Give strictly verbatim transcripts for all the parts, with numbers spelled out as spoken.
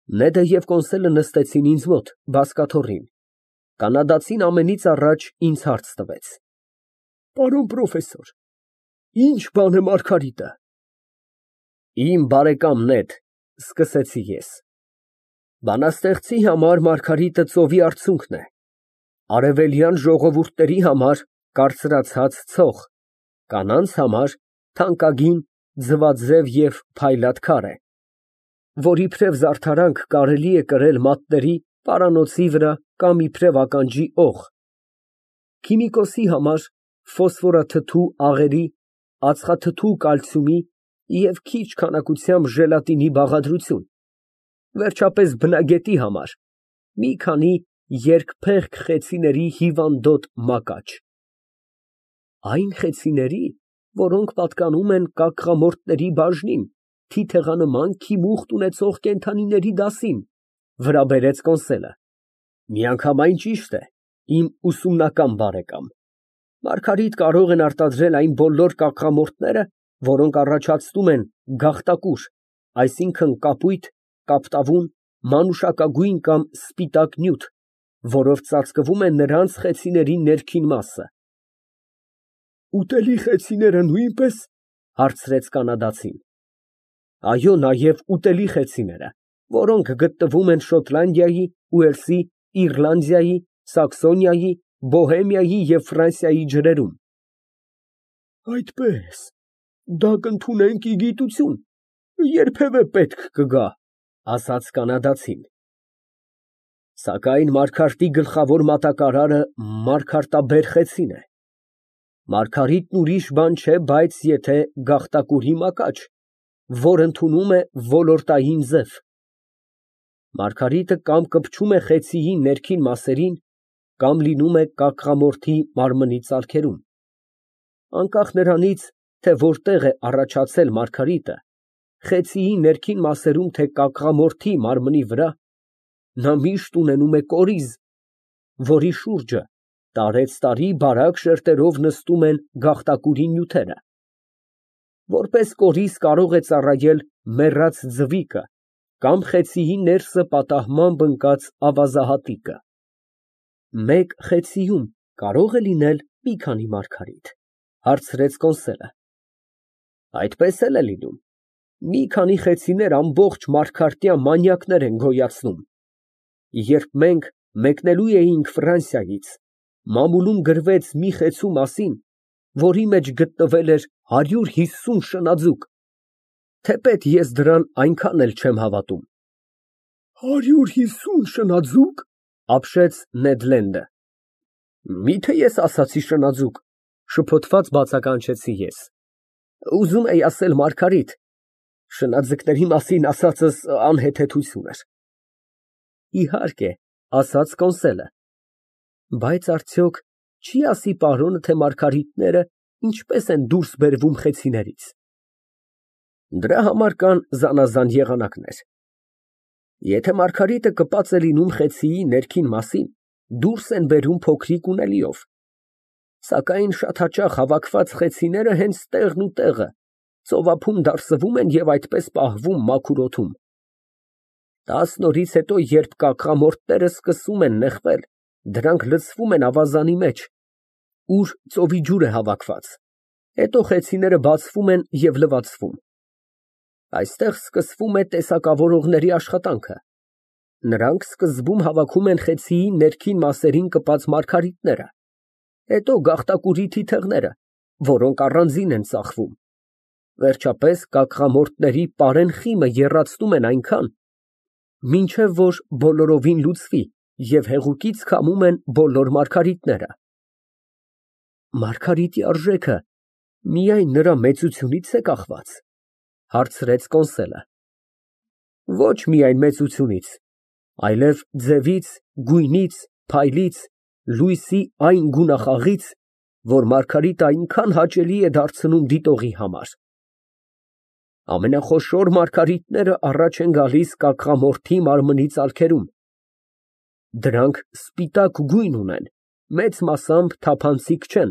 Նեդը և Կոնսելը նստեցին ինձ մոտ բազկաթոռին, կանադացին ամենից առաջ ինձ հարց տվեց. Պարոն պրոֆեսոր, ի՞նչ բան է Մարգարիտը։ Իմ բարեկամ Նեդ, սկսեցի ես, բանաստեղծի համար Մարգարիտը ծովի արցունքն է, արևելյան ժողովուրդների համար կարծրացած ցող, կանանց համար թանկագին ձվաձև և փայլատ քար է, որ իբրև զարդարանք կարելի է կրել մատների, պարանոցի վրա կամ իբրև ականջի օղ, քիմիկոսի համար ֆոսֆորաթթու աղերի, ածխաթթու կալցիումի և քիչ քանակությամբ ժելատինի բաղադրություն, վերջապես բնագետի համար մի քանի երկփեղկ խեցիների հիվանդոտ մակաչ, այն խեցիների, որոնք պատկանում են կակղամորտների բաժնին, թիթեղանման քիմուխտ ունեցող կենդանիների դասին, վրա բերեց Կոնսելը, միանգամայն ճիշտ է, իմ ուսումնական բարեկամ, Մարգարիտ կարող են արտադրել այն բոլոր կակղամորտները, որոնք առաջացնում են գաղտակուր, այսինքն կապույտ, կապտավուն, մանուշակագույն կամ սպիտակ նյութ, որով ծածկվում է նրանց խեցիների ներքին մասը։ Ուտելի խեցիները նույնպե՞ս, հարցրեց կանադացին։ Այո, նաև ուտելի խեցիները, որոնք գտնվում են Շոտլանդիայի, Ուելսի, Իռլանդիայի, Սաքսոնիայի, Բոհեմիայի և Ֆրանսիայի ջրերում։ Այդպե՞ս, դա կընդունենք ի գիտություն, երբևէ պետք կգա, ասաց կանադացին։ Սակայն Մարգարտի գլխավոր մատակարարը մարգարտաբեր խեցին է, Մարգարիտն ուրիշ բան չէ, բայց եթե գաղտակուրի մակաչ, որ ընդունում է ոլորտային ձև, Մարգարիտը կամ կպչում է խեցիի ներքին մասերին, կամ լինում է կակղամորթի մարմնի ծալքերում, անկախ նրանից, թե որտեղ է առաջացել Մարգարիտը, խեցիի ներքին մասերում, թե կակղամորթի մարմնի վրա, նա միշտ ունենում է կորիզ, որի շուրջը տարեցտարի բարակ շերտերով նստում են գաղտակուրի նյութերը, որպես կորիզ կարող է ծառայել մեռած ձվիկը կամ խեցիի ներսը պատահմամբ ընկած ավազահատիկը։ Մեկ խեցիում կարո՞ղ է լինել մի քանի Մարգարիտ, հարցրեց Կոնսելը։ Այդպես էլ է լինում, մի քանի խեցիներ ամբողջ մարգարտյան մանյակներ են գոյացնում։ Երբ մենք մեկնելու էինք Ֆրանսիայից, մամուլում գրվեց մի խեցու մասին, որի մեջ գտնվել էր հարյուր հիսուն շնաձուկ, թեպետ ես դրան այնքան էլ չեմ հավատում։ Հարյուր հիսուն շնաձու՞կ, ապշեց Նեդ Լենդը։ Միթե ես ասացի շնաձուկ, շփոթված բացականչեցի ես։ Ուզում էի ասել Մարգարիտ, շնաձկների մասին ասածս անհեթեթություն էր։ Իհարկե, ասաց Կոնսելը, բայց արդյոք չի ասի պարոնը, թե մարգարիտները ինչպես են դուրս բերվում խեցիներից։ Դրա համար կան զանազան եղանակներ։ Եթե Մարգարիտը կպած է լինում խեցիի ներքին մասին, դուրս են բերում փոքրիկ ունելիով, սակայն շատ հաճախ հավաքված խեցիները հենց տեղն ու տեղը ծովափում դարսվում են և այդպես պահվում մաքուր օդում։ Տասն օրից հետո, երբ կակղամորտները սկսում են նեղվել, դրանք լցվում են ավազանի մեջ, ուր ծովի ջուր է հավաքված, հետո խեցիները բացվում են և լվացվում։ Այստեղ սկսվում է տեսակավորողների աշխատանքը։ Նրանք սկզբում հավաքում են խեցիի ներքին մասերին կպած մարգարիտները, հետո գաղտակուրի թիթեղները, որոնք առանձին են ծախվում, վերջապես կակղամորտների պարեն խիմը եռացնում են այնքան, մինչև որ բոլորովին լուծվի և հեղուկից քամում են բոլոր մարգարիտները։ Մարգարիտի արժեքը միայն նրա մեծությունից է կախված, հարցրեց Կոնսելը։ Ոչ միայն մեծությունից, այլև ձևից, գույնից, փայլից, լույսի այն գունախաղից, որ Մարգարիտը այնքան հաճելի է դարձնում դիտողի համար։ Ամենախոշոր մարգարիտները առաջ են գալիս կակղամորթի մարմնի ծալքերում։ Դրանք սպիտակ գույն ունեն, մեծ մասամբ թափանցիկ չեն,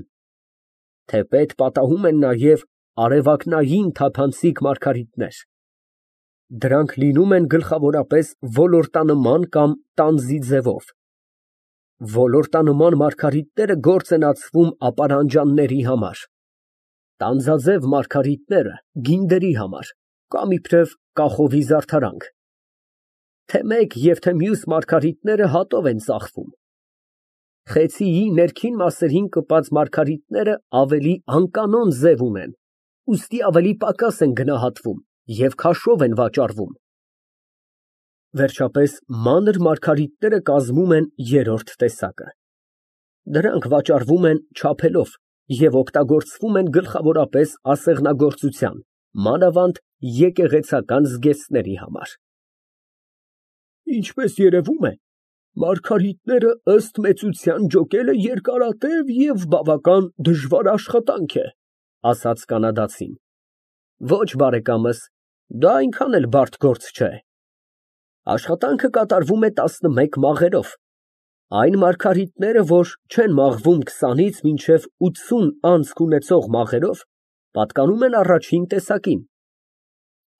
թեպետ պատահում են նաև արևակնային թափանցիկ մարգարիտներ։ Դրանք լինում են գլխավորապես ոլորտանման կամ տանձի ձևով։ Ոլորտանման մարգարիտները գործ են ածվում ապարանջանների համար, տանձաձև մարգարիտները գինդերի համար կամ իբրև կախովի զարդարանք, թե մեկ և թե մյուս մարգարիտները հատով են ծախվում։ Խեցիի ներքին մասերին կպած մարգարիտները ավելի անկանոն ձև ունեն, ուստի ավելի պակաս են գնահատվում և քաշով են վաճառվում։ Վերջապես, մանր մարգարիտները կազմում են երրորդ տեսակը։ Դրանք վաճառվում են չափելով և օգտագործվում են գլխավորապես ասեղնագործության, մանավանդ եկեղեցական զգեստների համար։ Ինչպես երևում է, մարգարիտները ըստ մեծության ջոկելը երկարատև և բավական դժվար աշխատանք է, ասաց կանադացին։ Ոչ, բարեկամս, դա այնքան էլ բարդ գործ չէ։ Աշխատանքը կատարվում է տասնմեկ մաղերով։ Այն մարգարիտները, որ չեն մաղվում քսանից մինչև ութսուն անցք ունեցող մաղերով, պատկանում են առաջին տեսակին,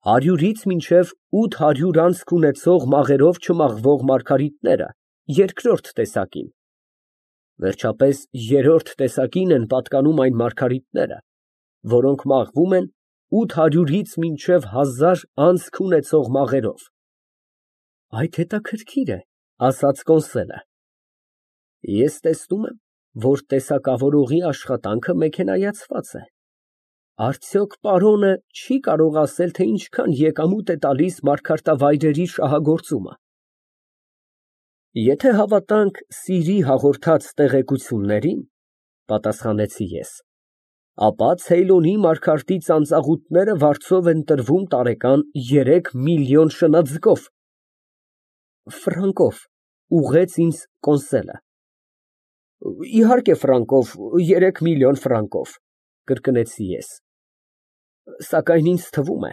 հարյուրից մինչև ութ հարյուր անցք ունեցող մաղերով չմաղվող մարգարիտները երկրորդ տեսակին, վերջապես երրորդ տեսակին են պատկանում այն մարգարիտները, որոնք մաղվում են ութ հարյուրից մինչև հազար անցք ունեցող մաղերով։ Այդ հետաքրքիր է, ասաց կոնսոլը։ Ես տեսնում եմ, որ տեսակավորողի աշխատանքը մեքենայացված է։ Արդյոք պարոնը չի կարող ասել, թե ինչքան եկամուտ է տալիս մարգարտավայրերի շահագործումը։ Եթե հավատանք Սիրի հաղորդած տեղեկություններին, պատասխանեցի ես, ապա Ցեյլոնի մարգարտի ծանծաղուտները վարձով են տրվում տարեկան երեք միլիոն շնաձկով։ Ֆրանկով, ուղղեց ինձ կոնսոլը։ Իհարկե, ֆրանկով, երեք միլիոն ֆրանկով, կրկնեցի ես։ Սակայն ինձ թվում է,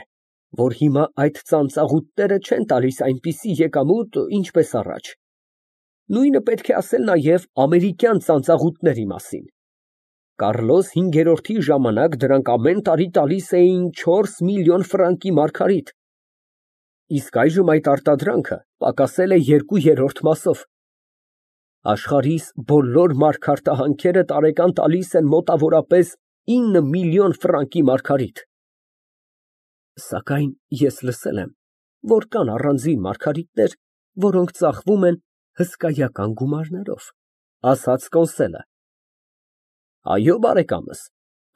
որ հիմա այդ ծանծաղուտները չեն տալիս այնպիսի եկամուտ, ինչպես առաջ։ Նույնը պետք է ասել նաև ամերիկյան ծանծաղուտների մասին։ Կառլոս հինգերորդի ժամանակ դրանք ամեն տարի տալիս էին չորս միլիոն ֆրանկի մարգարիտ, իսկ այժմ այդ արտադրանքը պակասել է երկու երրորդ մասով։ Աշխարհիս բոլոր մարգարտահանքերը տարեկան տալիս են մոտավորապես ինը միլիոն ֆրանկի մարգարիտ։ Սակայն ես լսել եմ, որ կան առանձին մարգարիտներ, որոնք ծախվում են հսկայական գումարներով, ասաց կոնսոլը։ Այո, բարեկամս,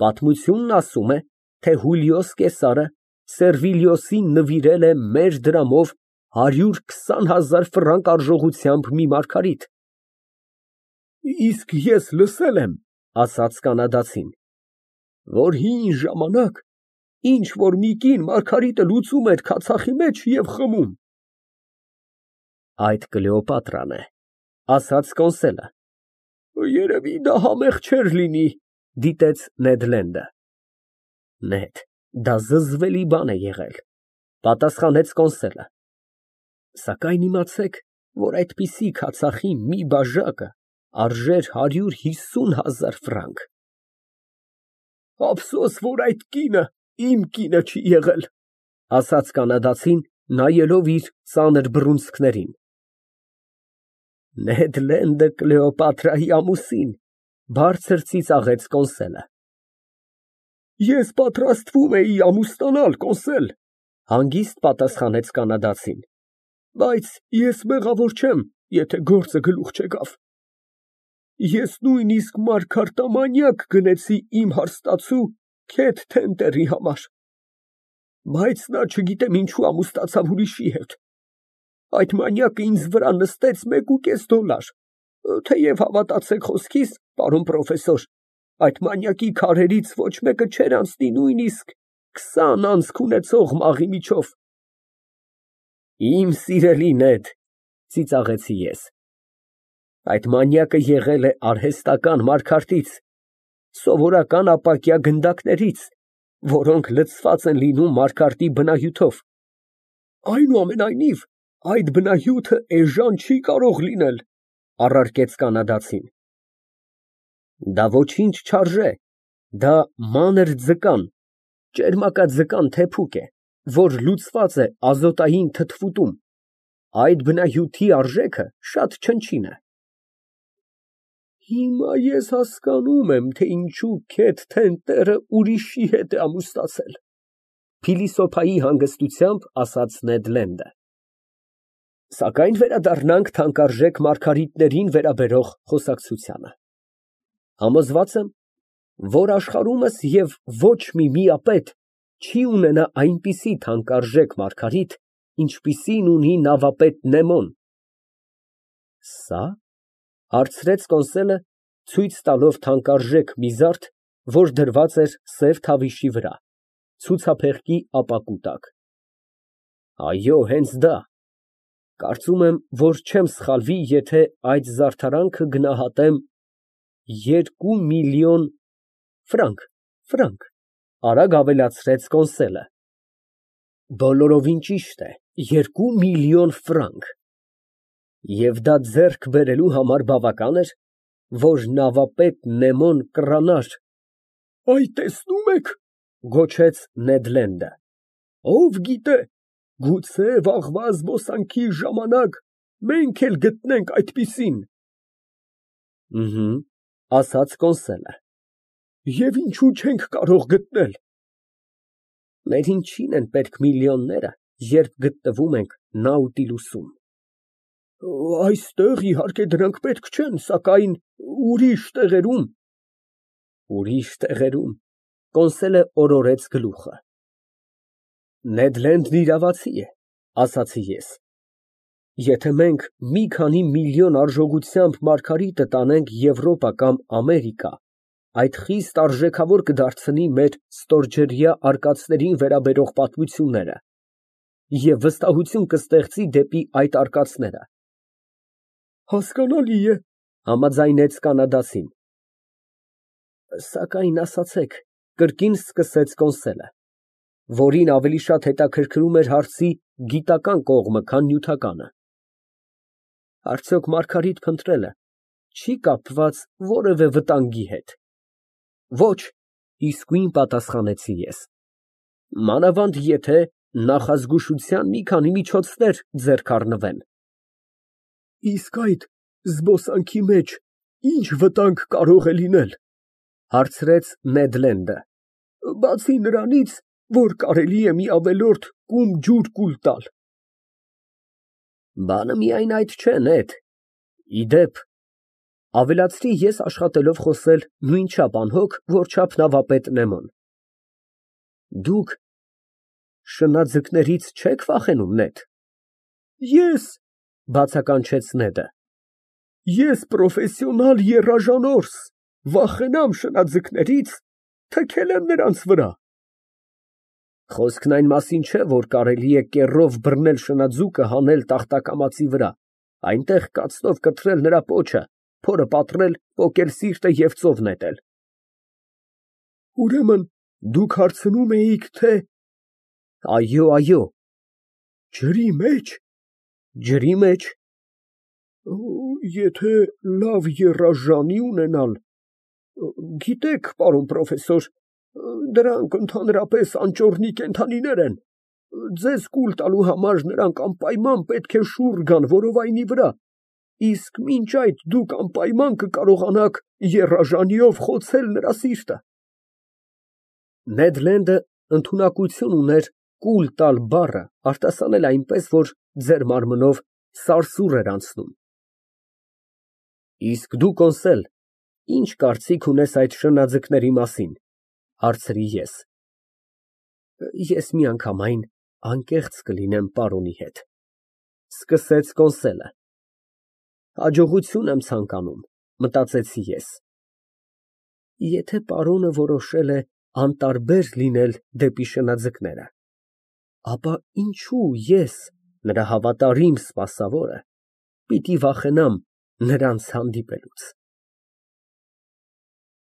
պատմությունն ասում է, թե Հուլիոս Կեսարը Սերվիլիոսին նվիրել է մեր դրամով հարյուր քսան հազար ֆրանկ արժողությամբ մի մարգարիտ։ Իսկ ես լսել եմ, ասաց կանադացին, որ հին ժամանակ ինչ֊որ մի կին մարգարիտը լուծում էր քացախի մեջ և խմում։ Այդ Կլեոպատրան է, ասաց կոնսոլը։ Երևի դա համեղ չէր լինի, դիտեց Նեդ Լենդը։ Նեդ, դա զզվելի բան է եղել, պատասխանեց կոնսոլը։ Սակայն իմացեք, որ այդպիսի քացախի մի բաժակը արժեր հարյուր հիսուն հազար ֆրանկ։ Ափսոս, որ այդ կինը իմ կինը չի եղել, ասաց կանադացին, նայելով իր ծանր բռունցքներին։ Նեդ Լենդը Կլեոպատրայի ամուսին, բարձր ծիծաղեց կոնսոլը։ Ես պատրաստվում էի ամուսնանալ, կոնսել, հանգիստ պատասխանեց կանադացին, բայց ես մեղավոր չեմ, եթե գործը գլուխ չեկավ։ Ես նույնիսկ մարգարտամանյակ գնեցի իմ հարստացու Քեթ Թեմպերի համար, բայց նա չգիտեմ ինչու ամուսնացավ ուրիշի հետ։ Այդ մանյակը ինձ վրա նստեց մեկուկես դոլար, թեև հավատացեք խոսքիս, պարոն պրոֆեսոր, այդ մանյակի քարերից ոչ մեկը չէր անցնի նույնիսկ քսան անցք ունեցող մաղի միջով։ Իմ սիրելի Նեդ, ծիծաղեցի ես, այդ մանյակը եղել է արհեստական մարգարտից, սովորական ապակյա գնդակներից, որոնք լցված են լինում մարգարտի բնահյութով։ Այնուամենայնիվ, այդ բնահյութը էժան չի կարող լինել, առարկեց կանադացին։ Դա ոչինչ չարժե, դա մանր ձկան, ճերմակաձկան թեփուկ է, որ լուծված է ազոտային թթվուտում, այդ բնահյութի արժեքը շատ չնչին է։ Հիմա ես հասկանում եմ, թե ինչու քեթ թենթերը ուրիշի հետ է ամուսնացել, փիլիսոփայի հանգստությամբ ասաց Նեդ Լենդը։ Սակայն վերադառնանք թանկարժեք մարգարիտներին վերաբերող խոսակցությանը։ Համոզված եմ, որ աշխարհումս և ոչ մի միապետ չի ունենա այնպիսի թանկարժեք մարգարիտ, ինչպիսին ունի նավապետ Նեմոն։ Սա՞, հարցրեց Կոնսելը, ցույց տալով թանկարժեք մի զարդ, որ դրված էր սև թավիշի վրա, ցուցափեղկի ապակու տակ։ Այո, հենց դա։ Կարծում եմ, որ չեմ սխալվի, եթե այդ զարդարանքը գնահատեմ երկու միլիոն… ֆրանկ, արագ ավելացրեց Կոնսելը։ Բոլորովին ճիշտ է, երկու միլիոն ֆրանկ։ Եվ դա ձեռք բերելու համար բավական էր, որ նավապետ Նեմոն կռանար… Այ, տեսնում եք, գոչեց Նեդ Լենդը, ով գիտե, գուցե վաղվա զբոսանքի ժամանակ մենք էլ գտնենք այդպիսին։ Ըհը, ասաց Կոնսելը։ Եվ ինչու չենք կարող գտնել։ Մեր ինչին են պետք միլիոնները, երբ գտնվում ենք Նաուտիլուսում։ Այստեղ, իհարկե, դրանք պետք չեն, սակայն ուրիշ տեղերում… Ուրիշ տեղերում… Կոնսելը օրորեց գլուխը։ Նեդ Լենդն իրավացի է, ասացի ես։ Եթե մենք մի քանի միլիոն արժողությամբ մարգարիտը տանենք Եվրոպա կամ Ամերիկա, այդ խիստ արժեքավոր կդարձնի մեր ստորջրյա արկածներին վերաբերող պատմությունները և վստահություն կստեղծի դեպի այդ արկածները։ Հասկանալի է, համաձայնեց կանադացին։ Սակայն ասացեք, կրկին սկսեց Կոնսելը, որին ավելի շատ հետաքրքրում էր հարցի գիտական կողմը, քան նյութականը, արդյոք մարգարիտ փնտրելը չի կապված որևէ վտանգի հետ։ Ոչ, իսկույն պատասխանեցի ես, մանավանդ եթե նախազգուշության մի քանի միջոցներ ձեռք առնվեն։ Իսկ այդ զբոսանքի մեջ ի՞նչ վտանգ կարող է լինել, հարցրեց Նեդ Լենդը, բացի նրանից, որ կարելի է մի ավելորդ կում ջուր կուլ տալ։ Բանը միայն այդ չէ, Նեդ, ի դեպ, ավելացրի ես աշխատելով խոսել նույնչափ անհոգ, որչափ նավապետ Նեմոն, դուք շնաձկներից չեք վախենում, Նեդ։ Ես… բացականչեց Նեդը, ես պրոֆեսիոնալ եռաժանորս, վախենամ շնաձկներից, թքել եմ նրանց վրա։ Խոսքն այն մասին չէ, որ կարելի է կեռով բռնել շնաձուկը հանել տախտակամածի վրա, այնտեղ կացնով կտրել նրա պոչը, փորը պատռել, պոկել սիրտը և ծով նետել։ Ուրեմն դուք հարցնում էիք, թե… Այո, այո։ Ջրի մեջ… Ջրի մեջ… Եթե լավ եռաժանի ունենալ… Գիտեք, պարոն պրոֆեսոր, դրանք ընդհանրապես անճոռնի կենդանիներ են, ձեզ կուլ տալու համար նրանք անպայման պետք է շուռ գան որովայնի վրա, իսկ մինչ այդ դուք անպայման կկարողանաք եռաժանիով խոցել նրա սիրտը։ Նեդ Լենդը ընդունակություն ուներ կուլ տալ բառը արտասանել այնպես, որ ձեռ մարմնով սարսուռ էր անցնում։ Իսկ դու, Կոնսել, ի՞նչ կարծիք ունես այդ շնաձկների մասին, հարցրի ես։ Ես միանգամայն անկեղծ կլինեմ պարոնի հետ, սկսեց Կոնսելը։ Հաջողություն եմ ցանկանում, մտածեցի ես։ Եթե պարոնը որոշել է անտարբեր լինել դեպի շնաձկները, ապա ինչու ես, նրա հավատարիմ սպասավորը, պիտի վախենամ նրանց հանդիպելուց։